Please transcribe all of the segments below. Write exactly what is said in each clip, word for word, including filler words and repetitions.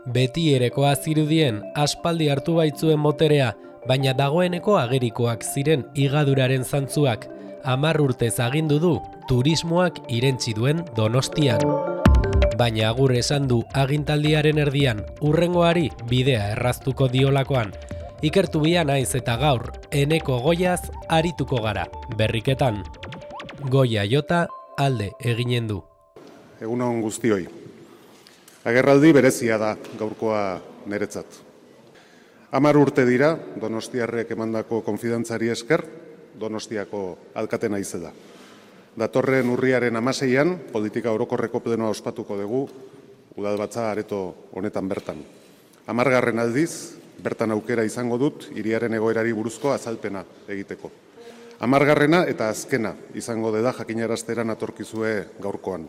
Beti erekoa zirudien aspaldi hartu baitzuen boterea, baina dagoeneko agerikoak ziren higaduraren zantzuak, hamar urtez agindu du turismoak irentsi duen Donostian. Baina agur esan du agintaldiaren erdian, hurrengoari bidea erraztuko diolakoan. Ikertu bia naiz eta gaur, Eneko Goiaz arituko gara, berriketan. Goia jota alde eginen du. Egun on guztioi. Agerraldi berezia da gaurkoa niretzat. Hamar urte dira Donostiarrek emandako konfidantzari esker, Donostiako alkate naizela. Datorren urriaren hamaseian, politika orokorreko plenoa ospatuko dugu, udalbatza areto honetan bertan. Hamargarren aldiz, bertan aukera izango dut, hiriaren egoerari buruzko azalpena egiteko. Hamargarrena eta azkena izango dela jakinarazteran atorkizue gaurkoan.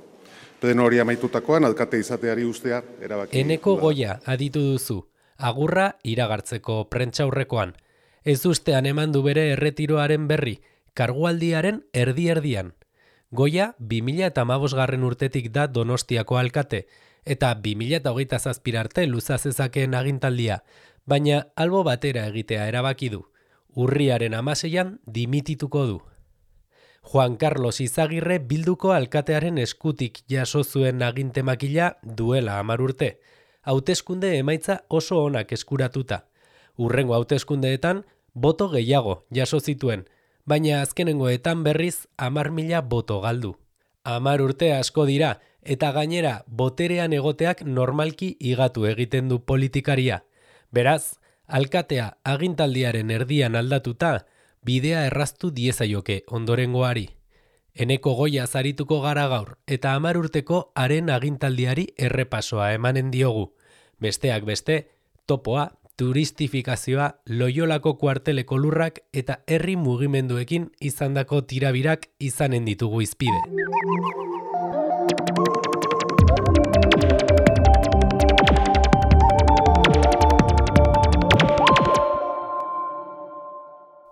Pleno hori amaitutakoan, alkate izateari ustea erabaki. Eneko Goia aditu duzu, agurra iragartzeko prentsaurrekoan. Ez ustean eman du bere erretiroaren berri, kargualdiaren erdi-erdian. Goia bi mila hamabosgarren urtetik da Donostiako alkate, eta bi mila hogeita zazpi arte luza zezakeen agintaldia, baina albo batera egitea erabaki du. Urriaren hamaseian dimitituko du. Juan Carlos Izagirre Bilduko alkatearen eskutik jaso zuen agintemakila duela hamar urte. Hauteskunde emaitza oso onak eskuratuta. Hurrengo hauteskundeetan boto gehiago jaso zituen, baina azkenengoetan berriz hamar mila boto galdu. Hamar urte asko dira, eta gainera boterean egoteak normalki igatu egiten du politikaria. Beraz, alkatea agintaldiaren erdian aldatuta, bidea erraztu diezaioke ondorengoari. Eneko Goia zarituko gara gaur, eta hamar urteko haren agintaldiari errepasoa emanen diogu. Besteak beste, topoa, turistifikazioa, Loiolako kuarteleko lurrak eta herri mugimenduekin izandako tirabirak izanen ditugu izpide.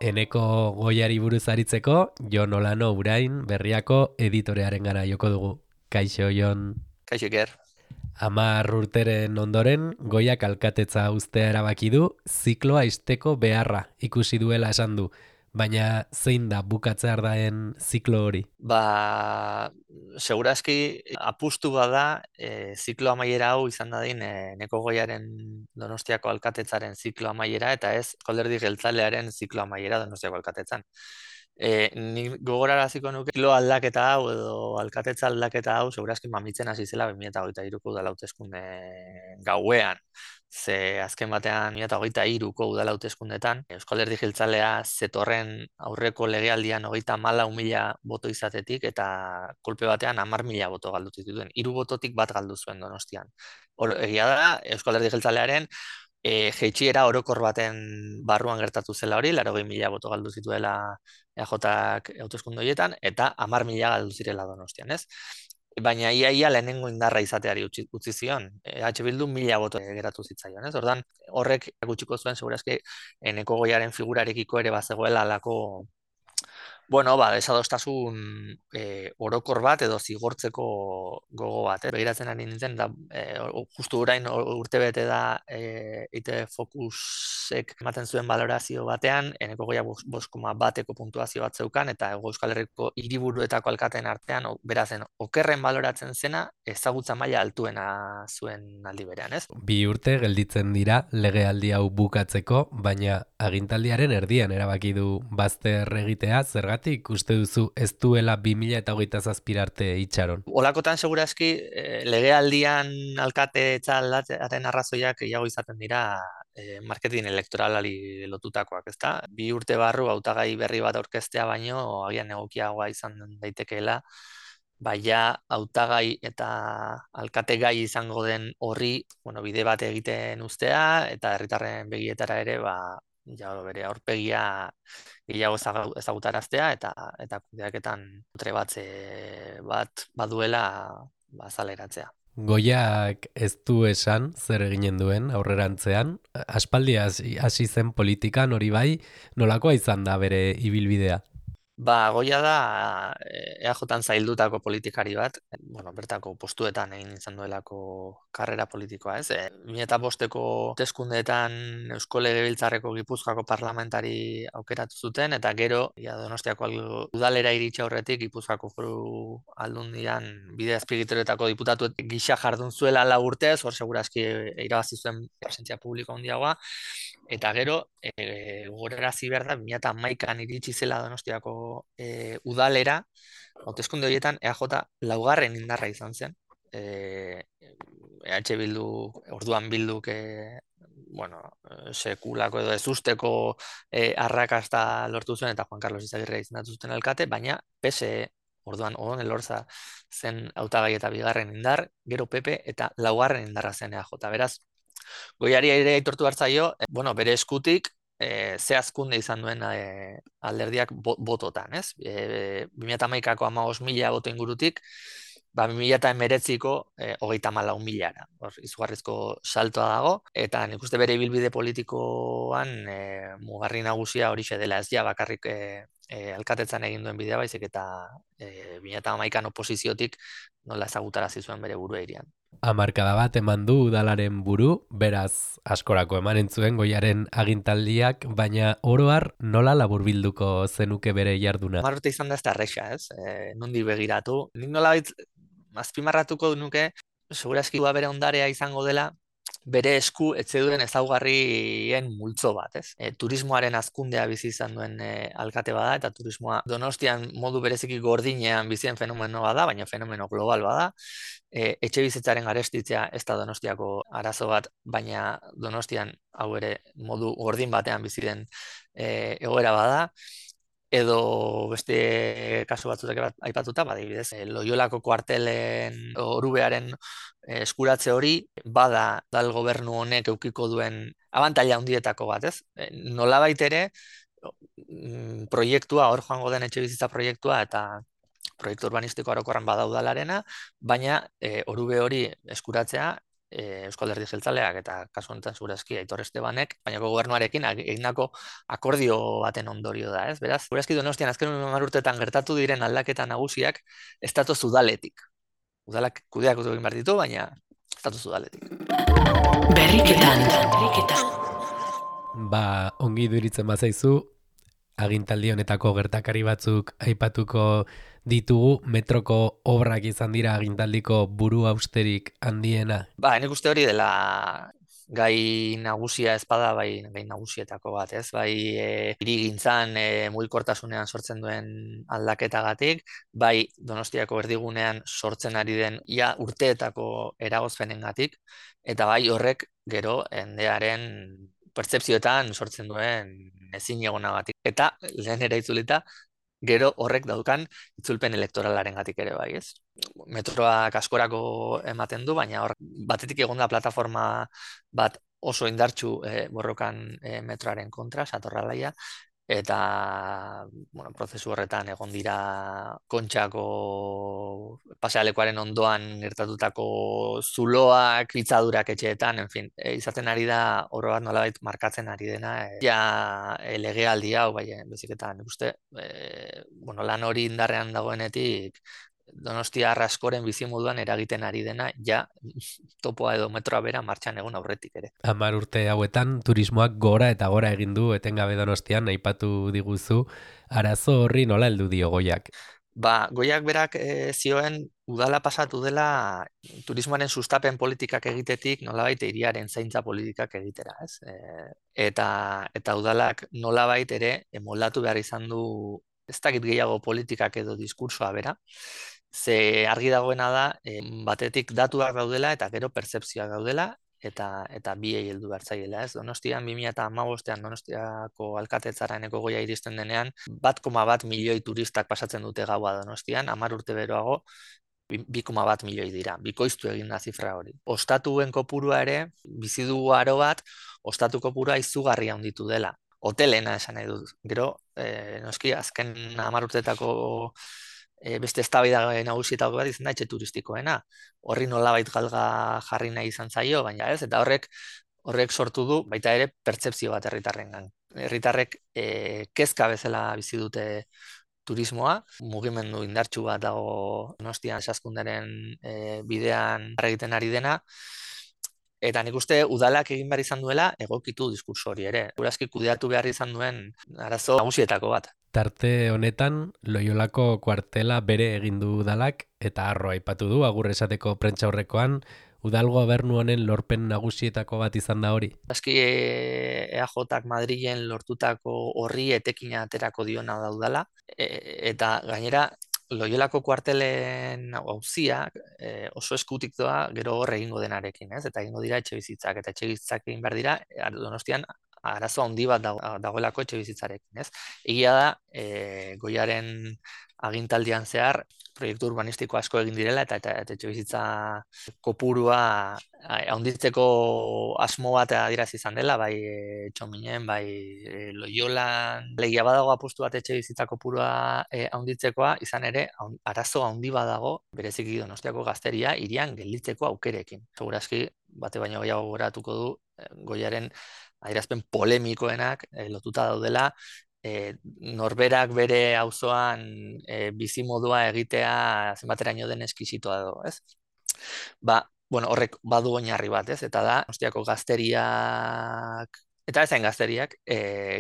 Eneko Goiari buruz aritzeko, Jon Olano Urain Berriako editorearen gara joko dugu. Kaixo, Jon. Kaixo, Iker. Hamar urteren ondoren, Goiak alkatetza uztea erabaki du, zikloa ixteko beharra ikusi duela esan du. Baina zein da bukatzear daen ziklo hori? Ba, segurazki apustu bada e, ziklo amaiera hau izan dadin e, Eneko Goiaren Donostiako alkatetzaren ziklo amaiera eta ez Alderdi Jeltzalearen ziklo amaiera Donostiako alkatetzan. E, ni gogoraraziko nuke ziklo aldaketa hau edo alkatetza aldaketa hau segurazki mamitzen hasi zela bi mila hogeita hiruko udal hauteskunde gauean. Ze azken batean bi mila hogeita hiruko udal hauteskundetan Euskal Alderdi Jeltzalea zetorren aurreko legealdian hogeita hamalau mila boto izatetik eta kolpe batean hamar mila boto galdu zituen. Hiru bototik bat galdu zuen Donostian. Or, egia da Euskal Alderdi Jeltzalearen e, jeitsiera orokor baten barruan gertatu zela hori, laurogei mila boto galdu zituela E A Jak hauteskunde horietan eta hamar mila galdu zirela Donostian, ez? Baina ia ia lehenengo indarra izateari utzi, utzi zion. E H Bildu mila boto geratu zitzaion, ez? Ordan horrek gutxiko zuen segurazki Eneko Goiaren figurarekiko ere bazegoela alako bueno, ba, desadostasun e, orokor bat edo zigortzeko gogo bat. Eh? Begiratzen ari nintzen, da, e, justu orain urte bete da e, I T Focusek ematen zuen valorazio batean, Eneko Goia bost koma bateko puntuazio bat zeukan, eta Euskal Herriko hiriburuetako alkateen artean, berazen, okerren baloratzen zena, ezagutza maila altuena zuen aldi berean, ez? Bi urte gelditzen dira legealdi hau bukatzeko, baina agintaldiaren erdian erabaki du bazter egitea, zergatik uste duzu ez duela bi mila hogeita zazpi arte itxaron? Olakotan segurazki eh, legealdian alkatetza aldatzearen arrazoiak gehiago izaten dira eh, marketing elektoralari lotutakoak, ezta? Bi urte barru hautagai berri bat aurkeztea baino agian egokiagoa izan daitekeela, baina hautagai eta alkategai izango den horri, bueno, bide bat egiten uztea eta herritarren begietara ere ba ja bere aurpegia gehiago ezagutaraztea eta eta kudeaketan trebatze bat baduela bazaleratzea. Goiak ez du esan zer eginen duen aurrerantzean, aspaldi hasi zen politikan hori bai, nolakoa izan da bere ibilbidea? Ba, Goia da E A J-an zaildutako politikari bat, bueno, bertako postuetan egin izan duelako karrera politikoa, ez? E, bi mila bosteko hauteskundeetan Eusko Legebiltzarreko Gipuzkoako parlamentari aukeratu zuten, eta gero, ja, Donostiako al- udalera iritsi aurretik Gipuzkoako foru aldundian bide azpigituretako diputatu gisa jardun zuela lau urtez, hor segurazki irabazi zuen presentzia publiko handiagoa, eta gero, e, gogorarazi behar da, bi mila hamaikan iritsi zela Donostiako e, udalera, hauteskunde horietan E A J laugarren indarra izan zen. E, EH Bildu, orduan Bilduk, e, bueno, e, sekulako edo ezusteko e, arrakasta lortu zuen, eta Juan Carlos Izagirre izendatu zuten alkate, baina P S E, orduan Odon Elorza zen hautagai eta bigarren indar, gero P P eta laugarren indarra zen E A J. Beraz, Goiari ere aitortu hartzaio, eh, bueno, bere eskutik eh, ze hazkunde izan duen eh, alderdiak bo- bototan, ez? E, bi mila hamaikako hamabost mila boto ingurutik, ba, bi mila hemeretziko eh, hogeita hamalau milara. Hor, izugarrizko saltoa dago, eta nik uste bere ibilbide politikoan eh, mugarri nagusia horixe dela, ez ja bakarrik eh, eh, alkatetzan egin duen bidea, baizik eta eh, bi mila hamaikan oposiziotik nola ezagutarazi zuen bere burua irian. Hamarkada bat eman du udalaren buru, beraz askorako emanen zuen Goiaren agintaldiak, baina oro har nola laburbilduko zenuke bere jarduna? Hamar urte izan da ez da erresa, ez? E, nondi begiratu. Nik nolabait azpimarratuko nuke, segurazki bere ondarea izango dela, bere esku etxe duen ezaugarrien multzo bat, ez? E, turismoaren hazkundea bizi izan duen e, alkate bada, eta turismoa Donostian modu bereziki gordinean bizien fenomeno bada, baina fenomeno global bada. E, etxe bizitzaren garestitzea ez da Donostiako arazo bat, baina Donostian hau ere modu gordin batean bizi den e, egoera bada. Edo beste kasu batzutak bat aipatuta, badibidez, e, Loiolako kuartelen orubearen e, eskuratze hori bada dal gobernu honek eukiko duen abantaila handietako bat, ez? E, nolabait ere mm, proiektua, hor joango den etxebizitza proiektua eta proiektu urbanistiko orokorran bada udalarena, baina e, orube hori eskuratzea e, Eusko Alderdi Jeltzaleak eta kasu honetan segurazki Aitor Estebanek, baina gobernuarekin egindako akordio baten ondorio da, ez? Beraz, segurazki Donostian azken hamar urteetan gertatu diren aldaketa nagusiak ez datoz udaletik. Udalak kudeak egin behar ditu, baina ez datoz udaletik. Berriketan. Berriketan. Ba, ongi iduritzen bazaizu, agintaldi honetako gertakari batzuk aipatuko ditugu, metroko obrak izan dira agintaldiko buru austerik handiena. Ba, nik uste hori dela gai nagusia ezpada, bai, gai nagusietako bat, ez? Bai, e, hirigintzan e, mugikortasunean sortzen duen aldaketagatik, bai, Donostiako erdigunean sortzen ari den ia urteetako eragozpenengatik, eta bai horrek gero endearen pertzepzioetan sortzen duen ezin egonagatik. Eta lehen ere itzulita, gero horrek daukan itzulpen elektoralaren gatik ere bai, ez? Metroak askorako ematen du, baina hor batetik egon da plataforma bat oso indartsu eh, borrokan eh, metroaren kontra, Satorralaia, eta bueno, prozesu horretan egon dira Kontxako pasealekuaren ondoan gertatutako zuloak, pitzadurak etxeetan, en fin, e, izaten ari da oro bat nolabait markatzen ari dena, e, ja e, legealdi hau, bai, bezik eta nik uste, e, bueno, lan hori indarrean dagoenetik, Donostia askoren bizimoduan eragiten ari dena, ja topoa edo metroa bera martxan egun aurretik ere. Hamar urte hauetan turismoak gora eta gora egin du etengabe Donostian, aipatu diguzu, arazo horri nola heldu dio Goiak? Ba, Goiak berak e, zioen udala pasatu dela turismoaren sustapen politikak egitetik nolabait hiriaren zaintza politikak egitera, ez? E, eta eta udalak nolabait ere moldatu behar izan du ez dakit gehiago politikak edo diskursoa bera. Ze argi dagoena da, e, batetik datuak daudela eta gero pertzepzioak daudela, eta eta biei heldu behar zaiela, ez? Donostian bi mila hamabostean Donostiako alkatetzaraineko Goia iristen denean, bat koma bat milioi turistak pasatzen dute gaua Donostian, hamar urte beroago, bi koma bat milioi dira, bikoiztu egin da zifra hori. Ostatuen kopurua ere, bizi dugu aro bat, ostatu kopurua izugarria handitu dela. Hotelena esan nahi dut. Gero, eh, noski, azken hamar urteetako e, beste eztabaida nagusietako bat izan da etxe turistikoena. Horri nolabait galga jarri nahi izan zaio, baina ez, eta horrek horrek sortu du baita ere pertzepzio bat herritarrengan. Herritarrek e, kezka bezala bizi dute turismoa, mugimendu indartsu bat dago Donostian Saskunderen e, bidean egiten ari dena, eta nik uste udalak egin behar izan duela egokitu diskurso hori ere. Segurazki kudeatu behar izan duen arazo nagusietako bat. Tarte honetan, Loiolako kuartela bere egin du udalak, eta Harro aipatu du, agur esateko prentsaurrekoan, udal gobernu honen lorpen nagusietako bat izan da hori. Aski E A Jak Madrilen lortutako horri etekina aterako diona da udala, e, eta gainera, Loiolako kuartelen auziak e, oso eskutik doa gero hor egingo denarekin, ez? Eta egingo dira etxebizitzak, eta etxebizitzak egin behar dira, Donostian arazo handi bat dago, dagoelako etxebizitzarekin, ez? Egia da, e, Goiaren agintaldian zehar, proiektu urbanistiko asko egin direla, eta, eta, eta etxebizitza kopurua handitzeko asmo bat adierazi izan dela, bai e, Txominen, bai e, Loiolan, legia badago apustu bat etxebizitza kopurua e, handitzekoa, izan ere, arazo handi badago, bereziki Donostiako gazteria, hirian gelditzeko aukerekin. Segurazki, bate baino gehiago goratuko du, Goiaren adierazpen polemikoenak e, lotuta daudela, E, norberak bere auzoan e, bizimodua egitea zenbateraino den eskisitoa edo, ez? Ba, bueno, horrek badu oinarri bat, ez? Eta da, Donostiako gazteriak, eta ezain gazteriak, e,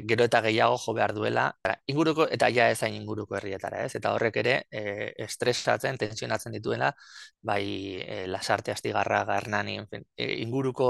gero eta gehiago jo behar duela, inguruko, eta ja ezain inguruko herrietara, ez? Eta horrek ere, e, estresatzen, tensionatzen dituela, bai e, Lasarte, Astigarra, Hernani, e, inguruko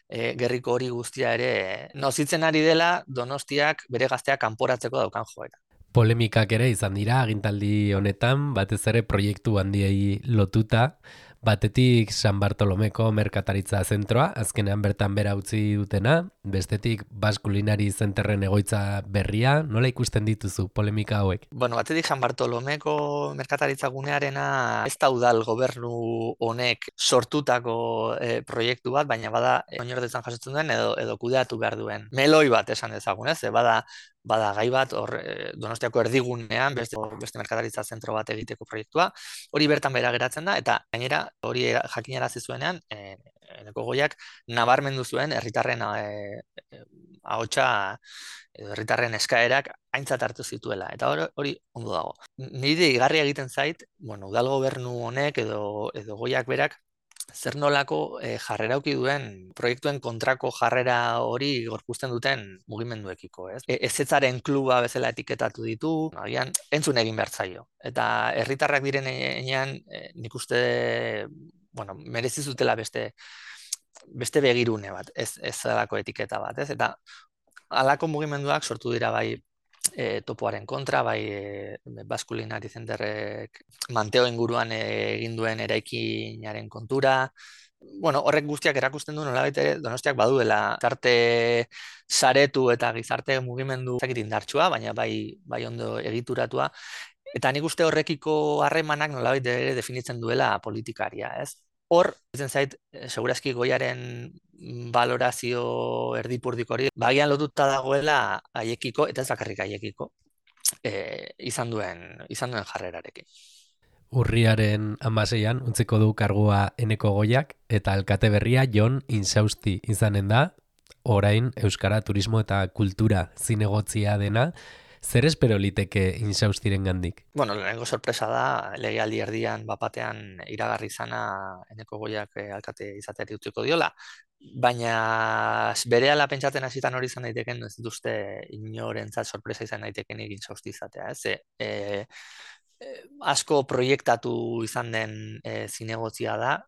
e, gerriko hori guztia ere, nozitzen ari dela Donostiak bere gazteak kanporatzeko daukan joera. Polemikak ere izan dira agintaldi honetan, batez ere proiektu handiei lotuta, batetik San Bartolomeko merkataritza zentroa, azkenean bertan bera utzi dutena, bestetik Basque Culinary Centerren egoitza berria, nola ikusten dituzu polemika hauek? Bueno, batetik San Bartolomeko merkataritza gunearena ez da udal gobernu honek sortutako e, proiektu bat, baina bada oinordetzan jasotzen duen edo, edo kudeatu behar duen meloi bat esan dezagun, ez? Bada bada gai bat hor Donostiako erdigunean beste, beste merkataritza zentro bat egiteko proiektua, hori bertan bera geratzen da, eta gainera hori jakinarazi zuenean, e, Eneko Goiak nabarmendu zuen herritarren e, e, ahotsa edo herritarren eskaerak aintzat hartu zituela, eta hori, hori ondo dago. Nire igarria egiten zait, bueno, udal gobernu honek edo, edo Goiak berak zer nolako e, jarrera auki duen proiektuen kontrako jarrera hori gorpuzten duten mugimenduekiko, ez? E, ezetzaren kluba bezala etiketatu ditu, agian entzun egin behar zaio. Eta herritarrak diren enean, e, nik uste, bueno, merezi zutela beste beste begirune bat, ez ez alako etiketa bat, ez? Eta halako mugimenduak sortu dira bai E, topoaren kontra, bai e, Basque Culinary Centerrek Manteo inguruan e, egin duen eraikinaren kontura. Bueno, horrek guztiak erakusten du nolabait ere Donostiak baduela gizarte saretu eta gizarte mugimendu zakit indartsua, baina bai, bai ondo egituratua. Eta nik uste horrekiko harremanak nolabait ere definitzen duela politikaria, ez? Hor, izen zait, segurazki Goiaren valorazio erdipurdiko hori, bagian lotuta dagoela haiekiko, eta ez bakarrik haiekiko, e, izan duen, izan duen jarrerarekin. Urriaren hamaseian utziko du kargua Eneko Goiak, eta alkate berria Jon Insausti izanen da, orain Euskara Turismo eta Kultura zinegotzia dena. Zer espero liteke Insaustiren gandik? Bueno, lehenengo sorpresa da, legealdi erdian bapatean iragarri izana Eneko Goiak alkate izateari utziko diola, baina berehala pentsatzen hasitan hori izan daiteken, ez dituzte inorentzat sorpresa izan daiteken egin Insausti izatea, ez? E, e, asko proiektatu izan den e, zinegotzia da,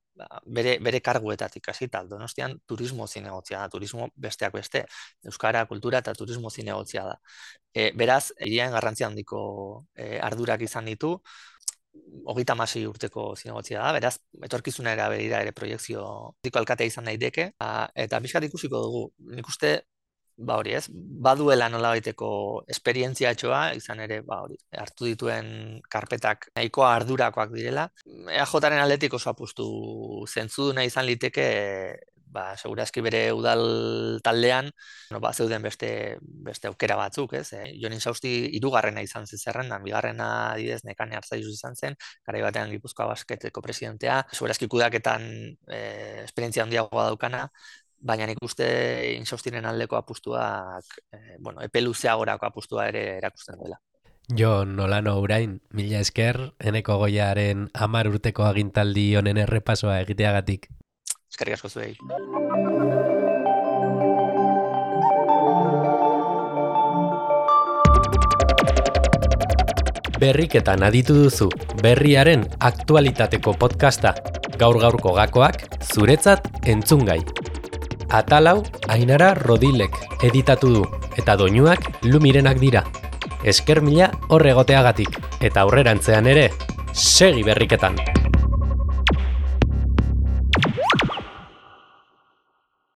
bere, bere karguetatik hasita, Donostian turismo zinegotzia da, turismo besteak beste, euskara, kultura eta turismo zinegotzia da. E, beraz, hirian garrantzia handiko e, ardurak izan ditu, hogeita hamasei urteko zinegotzia da, beraz, etorkizunera berira ere proiekzio diko alkatea izan daiteke, eta pixkat ikusiko dugu, nik uste, ba hori ez, baduela nolabaiteko esperientziatxoa, izan ere, ba hori, hartu dituen karpetak nahikoa ardurakoak direla. E A Jaren aldetik oso apustu zentzuduna izan liteke, ba, segurazki bere udal taldean, no, ba, zeuden beste, beste aukera batzuk, ez? E, Jon Insausti hirugarrena izan zen zerrendan, bigarrena adidez Nekane Arzallus izan zen, garai batean Gipuzkoa Basketeko presidentea, segurazki kudeaketan e, esperientzia handiagoa daukana, baina nik uste Insaustiren aldeko apustuak, e, bueno, epe luzeagorako apustua ere erakusten dela. Jon Olano Urain, mila esker, Eneko Goiaren hamar urteko agintaldi honen errepasoa egiteagatik. Eskerrik asko zuei. Berriketan aditu duzu, berriaren aktualitateko podcasta, gaur-gaurko gakoak, zuretzat entzungai. Atalau, Ainara Rodilek editatu du, eta doinuak Lumirenak dira. Esker mila hor egoteagatik, eta aurrerantzean ere, segi berriketan!